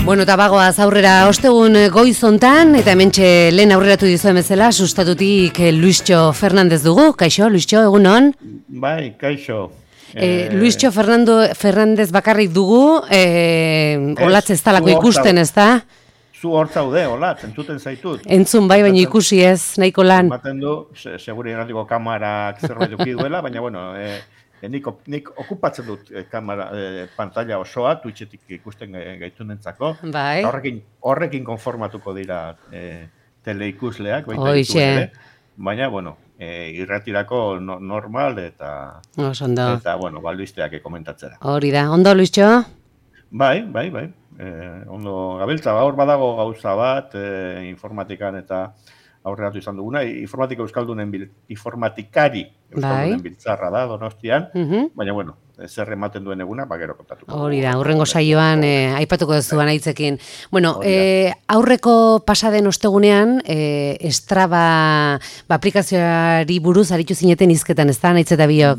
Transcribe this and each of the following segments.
Bueno, eta bagoaz aurrera ostegun goizontan, eta hementxe lehen aurreratu dizuen bezala, sustatutik Luischo Fernandez dugu. Kaixo, Luischo, egunon? Bai, kaixo. Luischo Fernandez bakarrik dugu, olatz ez talako ikusten, ez da? Zu hor zaude, olatz, entzuten zaitut. Entzun bai, baina ikusi ez, nahiko lan. Ematen du, seguri eratiko kamarak zerbait duki duela, baina bueno, nik okupatzen dut kamera, pantalla osoa, Twitchetik ikusten gaitunentzako. Bai. Horrekin konformatuko dira teleikusleak, baita Hoixe. ere. Baina, bueno, irratirako normal eta bueno, balbisteak komentatzera. Hori da, ondo, Luischo? Bai. Ondo gabiltza, hor badago gauza bat, informatikan eta aurreratu izan duguna, informatikari euskaldunen biltzarra da, Donostian, baina, bueno, zer ematen duen eguna, gero kontatuko. Hori da, hurrengo saioan aipatuko duzuan hitzekin. Bueno, aurreko pasaden ostegunean, Strava aplikazioari buruz aritu zineten hizketan, ez da, naitz eta biok?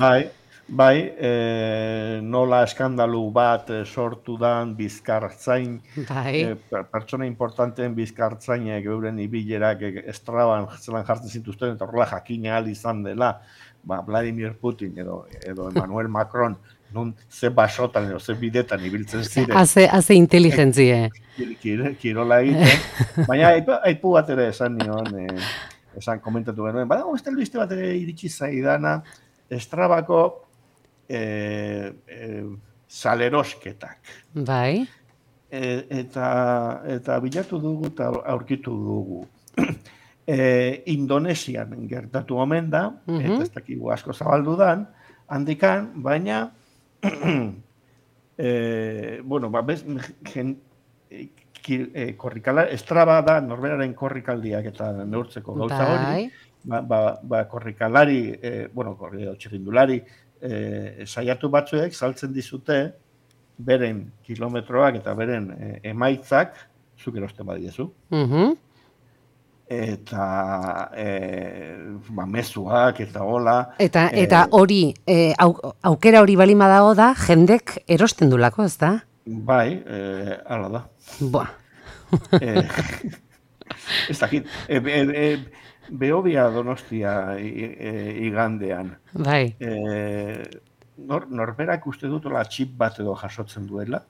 Bai, nola eskandalu bat sortu dan bizkartzain, pertsona importanteen bizkartzainek euren ibilerak Straban zelan jartzen zituzten, eta horrela jakina ahal izan dela, Vladimir Putin edo Emmanuel Macron, nun ze basotan edo ze bidetan ibiltzen ziren. Haze inteligentzie. Kirola egiten, baina aipu bat ere esan nion, esan komentatu genuen, badago ez albiste bat ere iritsi zaidana, Strabako salerosketak. Bai. Eta bilatu dugu eta aurkitu dugu. Indonesian gertatu omen da, eta ez dakigu asko zabaldu dan, handikan, baina bueno, Straba da norberaren korrikaldiak eta neurtzeko gauza hori, korrikalari, bueno, txirrindulari, saiatu batzuek saltzen dizute beren kilometroak eta beren emaitzak zuk erosten badiezu. Eta mezuak eta hola. Eta hori, aukera hori bali badago da, jendek erosten dulako, ez da? Bai, hala da. Boa. Ez dakit, Behobia Donostia igandean. Bai. Norberak uste dutola txip bat edo jasotzen duela,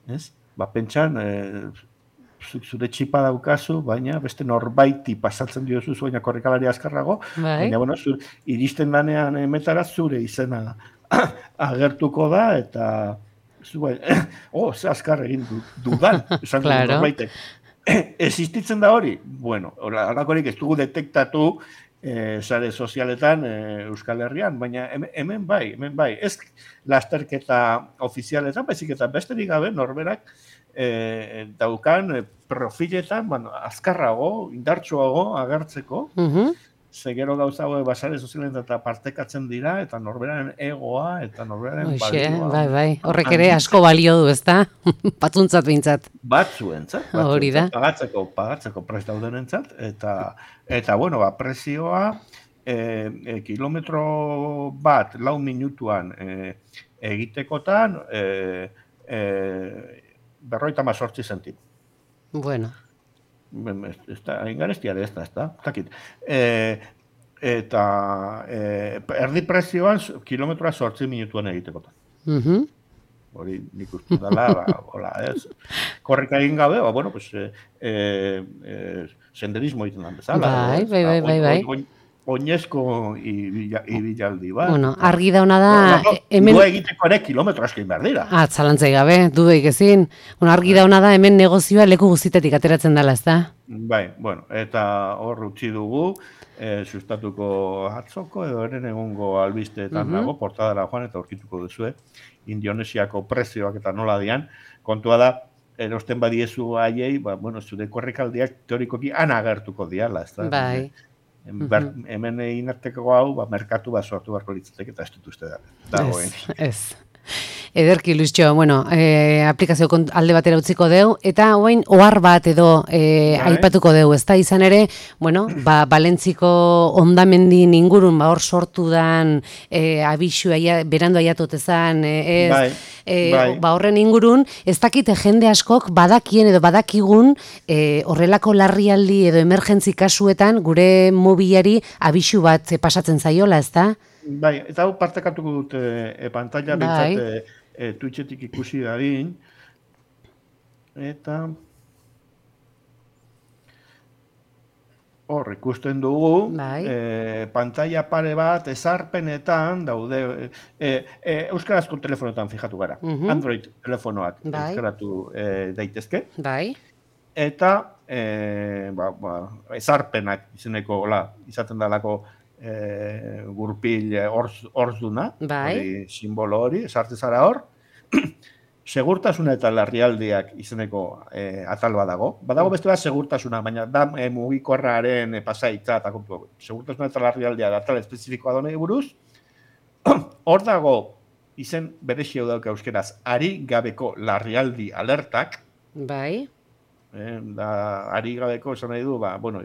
ez? Pentsan, zure txipa daukazu, baina beste norbaiti pasatzen diozu baina korrikalari azkarrago, baina, bueno, iristen danean metara zure izena agertuko da, eta ze azkar egin dudan, esan du norbaitek. Existitzen da hori? Bueno, halakorik ez dugu detektatu sare sozialetan Euskal Herrian, baina hemen bai. Ez lasterketa ofizialetan, baizik eta besterik gabe norberak daukan profiletan azkarrago, indartsuago agertzeko, zegero gauza hau basare sozialetan eta partekatzen dira, eta norberaren egoa, eta norberaren balioa. Bai, horrek ere asko balio du, ez da? Batzuntzat bintzat. Batzuentzat, pagatzeko prest daudenentzat, eta bueno, prezioa, kilometro bat, 4 minutuan egitekotan, 58 zentim. Bueno. Ingarestia ez da. Eta erdi prezioan kilometroa 8 minutuan egitekotan. Hori nik uste dela, korrika egin gabe, bueno, senderismo egiten dan bezala. Bai. Oinezko ibilaldi bat. Bueno, argi dauna da... Du egiteko ere kilometro askein behar dira. Zalantzai gabe, dudaik ezin. Argi dauna da hemen negozioa leku guztitetik ateratzen dela, ez da? Bai, bueno, eta hor utzi dugu, sustatuko atzoko edo eren egungo albisteetan dago, portadara joan eta aurkituko duzue, Indonesiako prezioak eta nola dian, kontua da, erosten badiezu haiei, bueno, zure korrikaldiak teorikoki anagertuko diala, ez da? Bai. Hemen egin arteko hau, merkatu bat sortu barko litzatek eta ez dut uste dagoen. Ez. Ederki, Luistxo, bueno, aplikazio alde batera utziko deu, eta oain ohar bat edo aipatuko deu, ez da izan ere, bueno, Balentziko ondamendin ingurun, hor sortu dan abixu, berandu aiatotezan, horren ingurun, ez dakite jende askok badakien edo badakigun horrelako larrialdi edo emergentzi kasuetan gure mobilari abixu bat pasatzen zaiola, ez da? Bai, eta hau partekatuko dut pantalla bintzat Twitchetik ikusi dadin. Eta hor ikusten dugu, pantalla pare bat ezarpenetan daude, euskarazko telefonotan fijatu gara, Android telefonoak euskaratu daitezke. Eta ezarpenak izeneko izaten dalako gurpil orzduna, simbolo hori, esarte zara hor, segurtasuna eta larrialdiak izeneko atal badago. Badago beste bat segurtasuna, baina da mugikorraren pasaitza eta kontu. Segurtasuna eta larrialdiak atal espezifikoa donei buruz. Hor dago izen berexio dauka euskeraz, ari gabeko larrialdi alertak. Bai. Ari gabeko esan nahi du,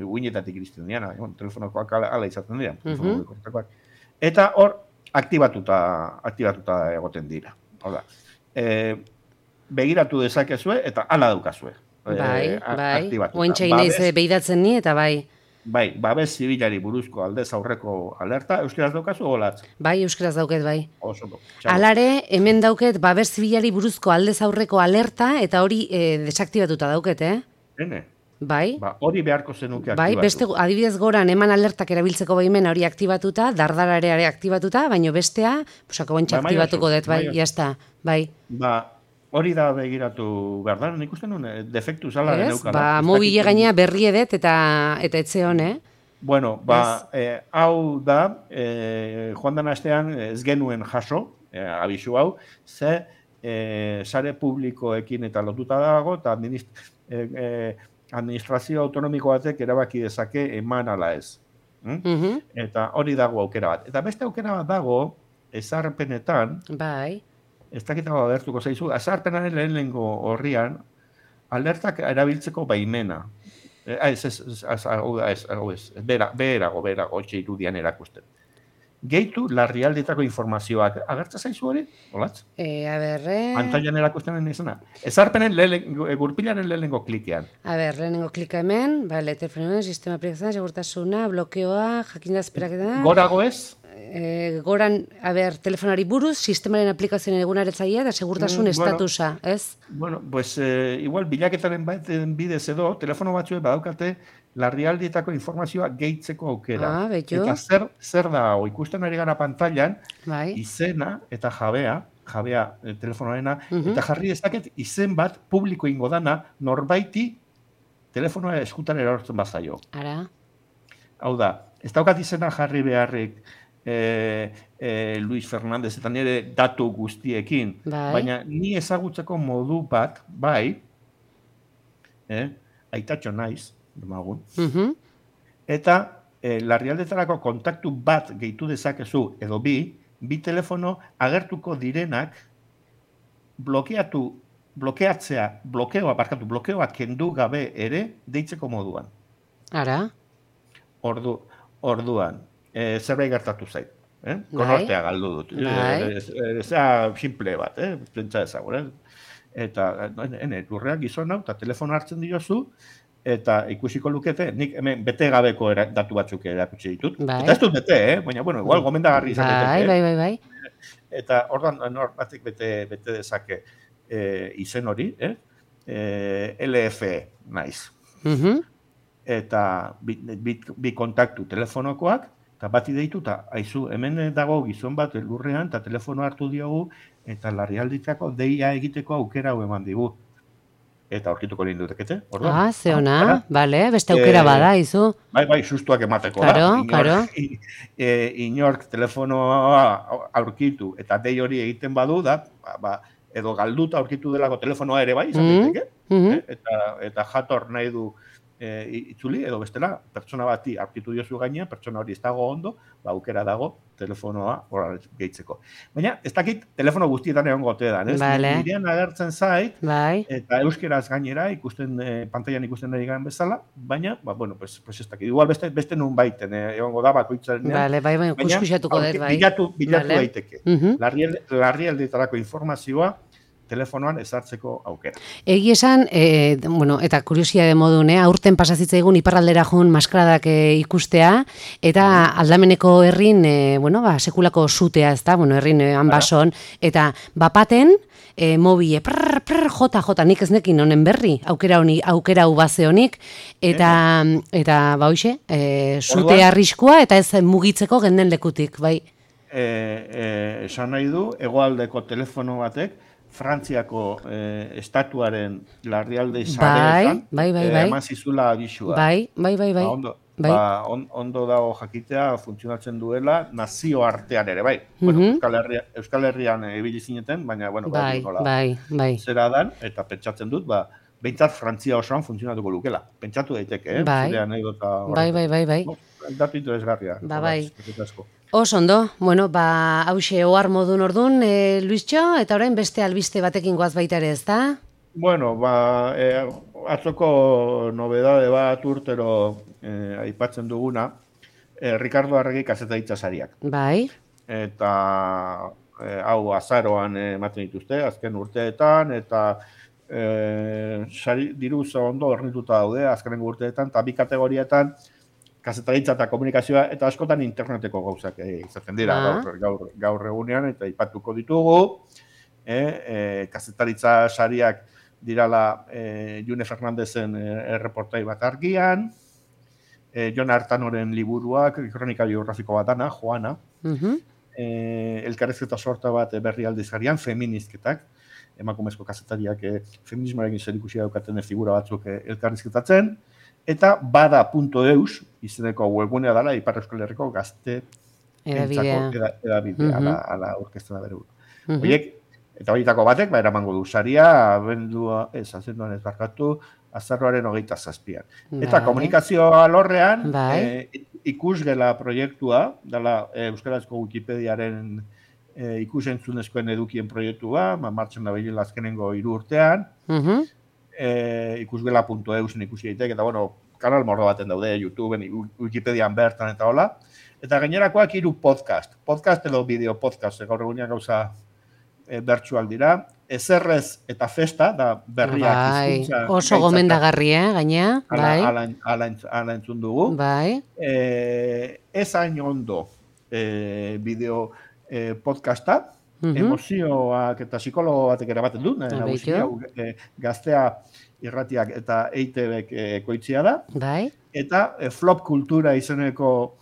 uinetatik iristen diana, telefonokoak ala izaten dira. Eta hor, aktibatuta egoten dira. Begiratu dezakezue eta ala daukazue. Bai. Ointxe inaiz behidatzen ni eta bai. Bai, babes zibilari buruzko aldez aurreko alerta, euskeraz daukazu olatz? Bai, euskeraz dauket, bai. Oso. Alare, hemen dauket babes zibilari buruzko aldez aurreko alerta eta hori desaktibatuta dauket, Hene? Bai. Hori beharko zenuke aktibatu. Bai, beste adibidez goran eman alertak erabiltzeko baimena hori aktibatuta, dardarare aktibatuta, baino bestea, posako bontxa aktibatuko dut, bai, jazta, bai. Hori da begiratu behar da, nik uste nuen, defektu zalaren eukara. Mobile gainea berri edet eta etze hone. Bueno, hau da, joan den astean ez genuen jaso, abisu hau, ze sare publikoekin eta lotuta dago, eta administrazio autonomiko batek erabaki dezake eman ala ez. Eta hori dago aukera bat. Eta beste aukera bat dago, ezarpenetan, bai. Ez dakitago agertuko zaizu, azarpenaren lehenengo horrian, alertak erabiltzeko baimena. Beherago, etxe irudian erakusten. Gehitu larrialdetako informazioak. Agertza zaizu hori? Olatz? Pantailan erakusten izena. Ezarpenen gurpilaren lehenengo klikean. Lehenengo klika hemen, telefonoen, sistema aplikazioa, segurtasuna, blokeoa, jakindazperaketa. Gorago ez? Goran, telefonari buruz, sistemaren aplikazioen egunaretzaia eta segurtasun estatusa, ez? Bueno, pues igual bilaketaren baten bidez edo, telefono batzuek badaukate larrialdietako informazioa gehitzeko aukera. Eta zer da, ikusten ari gara pantailan, izena eta jabea telefonoarena, eta jarri dezaket izen bat publiko ingo dana norbaiti telefonoa eskutan erortzen bazaio. Ara? Hau da, ez daukat izena jarri beharrik Luis Fernandez eta nire datu guztiekin, baina ni ezagutzeko modu bat, aitatxo naiz, demagun, eta larrialdetarako kontaktu bat gehitu dezakezu, edo bi telefono agertuko direnak blokeoa kendu gabe ere deitzeko moduan. Ara? Orduan. Zerbait gertatu zait. Konortea galdu dut. Zea simple bat, pentsa ezagun. Eta lurreak gizon hau, eta telefono hartzen diozu, eta ikusiko lukete, nik hemen bete gabeko datu batzuk erakutsi ditut. Eta ez dut bete, baina, igual gomendagarri izateke. Bai. Eta orduan batek bete dezake izen hori, LFE naiz. Eta bi kontaktu telefonokoak, eta bati deitu, eta haizu, hemen dago gizon bat lurrean, eta telefono hartu diogu, eta larrialditako deia egiteko aukera hau eman digu. Eta aurkituko lehen dutekete. Ze ona, beste aukera bada, izu. Bai, sustuak emateko. Karo. Inork telefonoa aurkitu, eta dei hori egiten badu, edo galduta aurkitu delako telefonoa ere bai, izan daiteke, eta jator nahi du itzuli, edo bestela, pertsona bati aurkitu diozu gainean, pertsona hori ez dago ondo, aukera dago telefonoa horra gehitzeko. Baina, ez dakit telefono guztietan egon gote da, ez? Vale. Nirean agertzen zait, Bai. eta euskeraz gainera, pantailan ikusten ari garen bezala, baina, bueno, pues ez dakit, igual beste nun baiten, egongo da bakoitzaren. Vale, bai, kuskuxatuko dut, bai. Bilatu daiteke. Larrialdietarako informazioa, telefonoan ezartzeko aukera. Egi esan, eta kuriosia de modun, aurten pasazitza egun iparraldera joan maskaradak ikustea, eta aldameneko herrin, sekulako zutea, ez da, herrin hanbason, eta bapaten, mobile, jota, nik ez nekin honen berri, aukera ubaze honik, eta hoxe, zute arriskua, eta ez mugitzeko genden lekutik, bai. Esan nahi du, hegoaldeko telefono batek, Frantziako estatuaren larrialde sareetan eman zizula abisua. Bai. Ondo dago jakitea funtzionatzen duela nazio artean ere, bai. Euskal Herrian ibili zineten, baina, bai. Zera dan, eta pentsatzen dut, behintzat Frantzia osoan funtzionatuko lukela. Pentsatu daiteke, zure anekdota. Bai. Datu interesgarria. Bai. Ondo, hause ohar modun ordun, Luistxo, eta orain beste albiste batekin goaz baita ere, ez da? Atzoko nobedade bat urtero aipatzen duguna, Ricardo Arregi kazetaritza sariak. Bai. Eta hau azaroan ematen dituzte, azken urteetan, eta diru ondo hornituta daude, azkenen urteetan, eta bi kategorietan, kazetaritza eta komunikazioa, eta askotan interneteko gauzak izaten dira gaur egunean, eta ipatuko ditugu. Kazetaritza sariak dirala June Fernandezen erreportai bat argian, Jon Artanoren liburuak, kronika biografiko bat dana, Joana, elkarrezketa sorta bat berri aldizkarian, feministketak, emakumezko kazetariak feminismoarekin zerikusia daukaten figura batzuk elkarrizketatzen, eta bada.eus, izeneko webgunea dela, Ipar Euskal Herriko gazte edabidea, ala orkestra da bere. Eta horietako batek, eramango du saria, azenduan ez barkatu, azaroaren 27. Eta komunikazio alorrean, ikusgela proiektua, dela Euskarazko Wikipediaren ikusentzunezkoen edukien proiektua, martxan da behila azkenengo 3 urtean, ikusgela.eusen ikusi daiteke, eta kanal mordo baten daude, YouTubeen, Wikipedian bertan eta hola. Eta gainerakoak 3 podcast edo bideo podcast, gaur egunean gauza bertsual dira, ezerrez eta festa, da berriak hizkuntza. Oso gomendagarri, gainea. Ala entzun dugu. Ez hain ondo bideo podcasta, emozioak eta psikologo batek erabaten du, gaztea irratiak eta EITBek ekoitzia da, eta flop kultura izeneko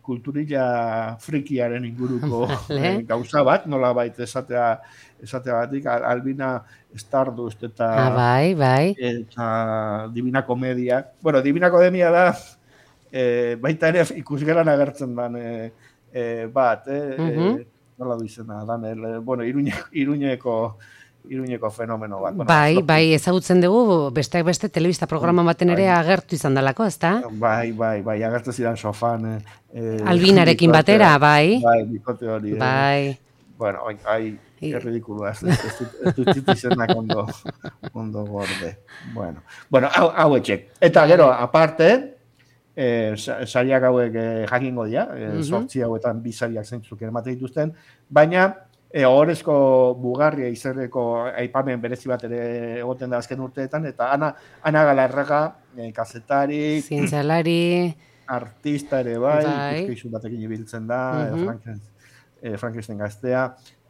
kulturilla frikiaren inguruko gauza bat, nola baita esatea batik, Albina Stardust eta Divina Komedia. Divina Komedia da, baita ere ikusgelan agertzen dan bat, nola du izena, Iruñeko fenomeno bat. Bai, ezagutzen dugu, besteak beste telebista programa baten ere agertu izan dalako, ezta? Bai, agertu zidan sofan. Albinarekin batera, bai. Bai, bikote hori. Bai. Bueno, erridikulua, ez dut izenak ondo gorde. Bueno, hau etxek. Eta gero, aparte, sariak hauek jakingo dira, 8 hauetan 2 sariak zeintzuk ematen dituzten, baina ohorezko bugarria izerreko aipamen berezi bat ere egoten da azken urteetan, eta Ana Galarraga, kazetari, zientzialari, artista ere bai, ikuskizun batekin ibiltzen da, Frankenstein gaztea,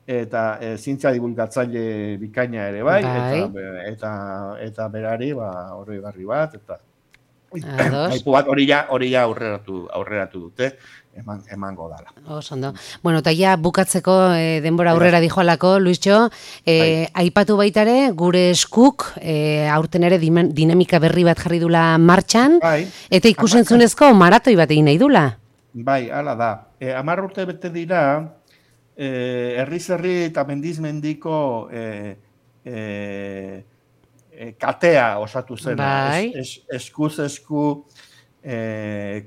eta zientzia divulgatzaile bikaina ere bai, eta berari horri barri bat, eta aipu bat hori ja aurreratu dute, emango dala. Ondo. Eta ja bukatzeko denbora aurrera dijoalako, Luistxo, aipatu baitare, gure eskuk aurten ere dinamika berri bat jarri dula martxan, eta ikusentzunezko maratoi bat egin nahi dula. Bai, hala da. 10 urte bete dira, herriz herri eta mendiz mendiko katea osatu zen, bai. eskuz esku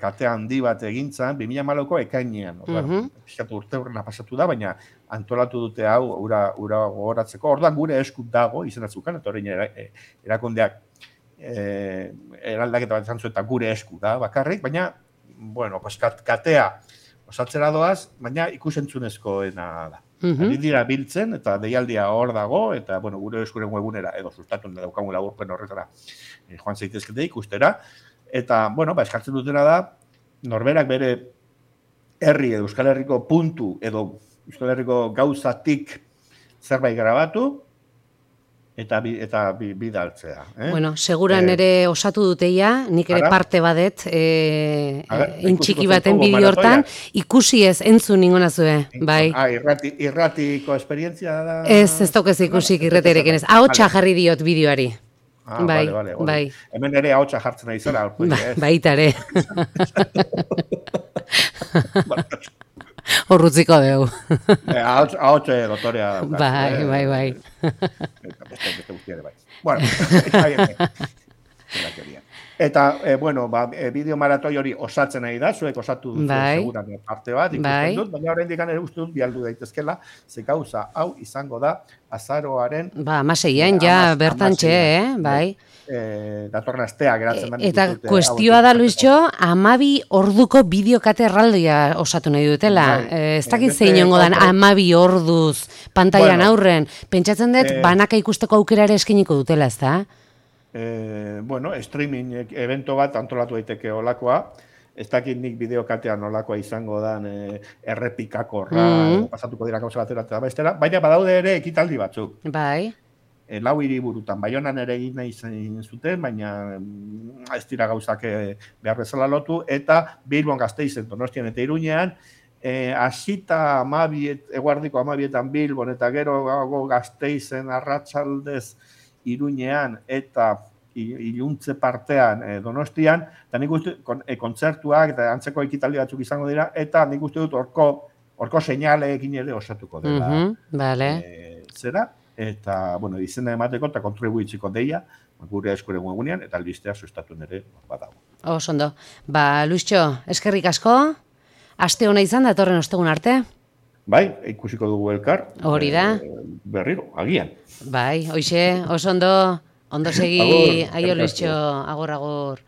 kate handi bat egintzan, 2008ko ekainean. Piskatu urte horrena pasatu da, baina antolatu dute hau ura gogoratzeko. Orduan gure esku dago, izenatzukan, eta horrein erakundeak eraldaketa bat izan zuen, eta gure esku da bakarrik, baina, bueno, katea osatzera doaz, baina ikusentzunezkoena da. Ari dira biltzen, eta deialdia hor dago, eta, bueno, gure eskuren webunera, edo sustatun daukagun laburpen horretara joan zaitezkete ikustera, eta, bueno, eskartzen dutena da, norberak bere herri edo Euskal Herriko puntu edo Euskal Herriko gauzatik zerbait grabatu, eta bidaltzea. Bueno, seguran ere osatu duteia, nik ere parte badet, intxiki baten bideo hortan, ikusi ez entzun ninguna zue, bai. Irratiko esperientzia da? Ez daukez ikusik irreterekin ez. Ahotsa jarri diot bideoari. Bai. Hemen ere ahotsa jartzen ari zara. Baita ere. Horrutziko dugu. Ahotxe dotorea daukaz. Bai. Beste guztiare bai. Bueno, está bien. Eta, bueno, bideo maratoi hori osatzen nahi da, zuek osatu duzu seguran parte bat, ikusten dut, baina horrein dikan ere uste dut bialdu daitezkela, ze gauza hau izango da azaroaren... Amaseian, ja, bertantxe, bai. Datorren astea geratzen da. Eta kuestioa da, Luisxo, 12 orduko bideokate erraldoia osatu nahi dutela. Ez dakit zein ongo dan 12 orduz pantailan aurren. Pentsatzen dut, banaka ikusteko aukera ere eskeniko dutela, ez da? Bueno, streaming evento bat antolatu daiteke olakoa. Ez dakit nik bideokatean olakoa izango dan errepikakorra, pasatuko dira gauza batera eta bestera, baina badaude ere ekitaldi batzuk. Bai. 4 hiriburutan, Baionan ere egin nahi zuten, baina ez dira gauzak behar bezala lotu, eta Bilbon, Gasteizen, Donostian eta Iruñean, hasita eguardiko 12etan Bilbon, eta gero Gasteizen, arratsaldez Iruñean, eta iluntze partean Donostian, eta nik uste kontzertuak eta antzeko ekitaldi batzuk izango dira, eta nik uste dut orko seinaleekin ere osatuko dela. Zera? Eta, bueno, izena emateko eta kontribuitziko deia, gure eskuren webunean, eta albistea sustatu nere badago. Ondo. Luisxo, eskerrik asko, aste hona izan datorren ostegun arte. Bai, ikusiko dugu elkar. Hori da. Berriro, agian. Bai, hoxe, ondo segi, aio Luisxo, agor.